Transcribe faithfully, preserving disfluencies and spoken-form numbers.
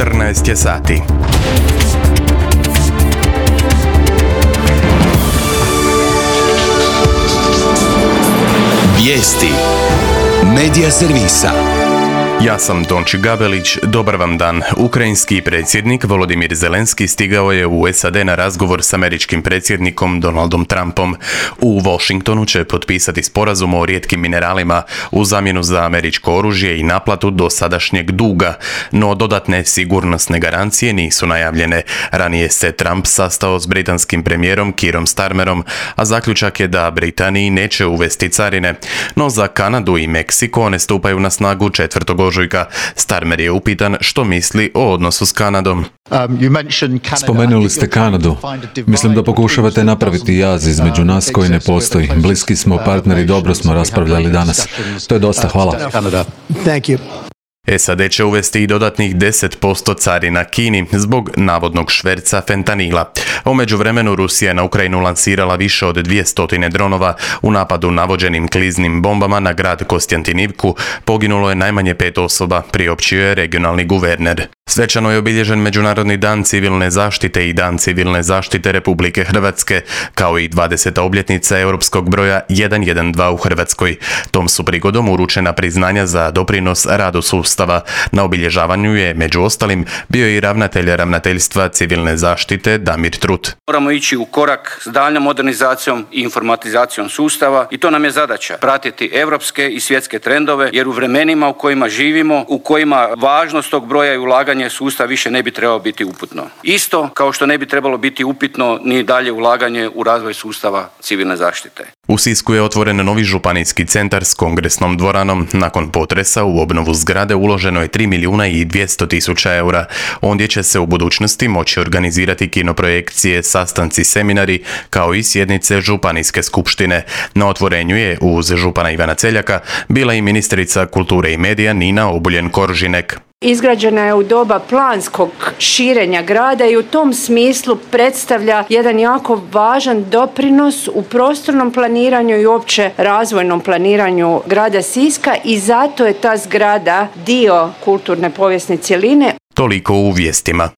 četrnaest je sati. Vijesti Medija servisa. Ja sam Tonči Gabelić, dobar vam dan. Ukrajinski predsjednik Volodimir Zelenski stigao je u S A D na razgovor s američkim predsjednikom Donaldom Trumpom. U Washingtonu će potpisati sporazum o rijetkim mineralima u zamjenu za američko oružje i naplatu dosadašnjeg duga, no dodatne sigurnosne garancije nisu najavljene. Ranije se Trump sastao s britanskim premijerom Keerom Starmerom, a zaključak je da Britaniji neće uvesti carine, no za Kanadu i Meksiko one stupaju na snagu četvrtog ožujka. Starmer je upitan što misli o odnosu s Kanadom. Spomenuli ste Kanadu. Mislim da pokušavate napraviti jaz između nas koji ne postoji. Bliski smo partneri, dobro smo raspravljali danas. To je dosta, hvala. S A D će uvesti i dodatnih deset posto carina Kini zbog navodnog šverca fentanila. U međuvremenu Rusija je na Ukrajinu lansirala više od dvjesto dronova. U napadu navođenim kliznim bombama na grad Kostjantinivku poginulo je najmanje pet osoba, priopćio je regionalni guverner. Svečano je obilježen Međunarodni dan civilne zaštite i Dan civilne zaštite Republike Hrvatske, kao i dvadeseta obljetnica europskog broja jedan jedan dva u Hrvatskoj. Tom su prigodom uručena priznanja za doprinos radu sustava. Na obilježavanju je, među ostalim, bio i ravnatelj ravnateljstva civilne zaštite Damir Trut. Moramo ići u korak s daljnjom modernizacijom i informatizacijom sustava i to nam je zadaća, pratiti europske i svjetske trendove, jer u vremenima u kojima živimo, u kojima važnost tog broja i ulaganja sustav više ne bi trebalo biti upitno. Isto kao što ne bi trebalo biti upitno ni dalje ulaganje u razvoj sustava civilne zaštite. U Sisku je otvoren novi županijski centar s kongresnom dvoranom. Nakon potresa u obnovu zgrade uloženo je tri milijuna i dvjesto tisuća eura. Ondje će se u budućnosti moći organizirati kinoprojekcije, sastanci, seminari, kao i sjednice županijske skupštine. Na otvorenju je uz župana Ivana Celjaka bila i ministrica kulture i medija Nina Obuljen-Koržinek. Izgrađena je u doba planskog širenja grada i u tom smislu predstavlja jedan jako važan doprinos u prostornom planiranju i uopće razvojnom planiranju grada Siska i zato je ta zgrada dio kulturne povijesne cjeline. Toliko u vijestima.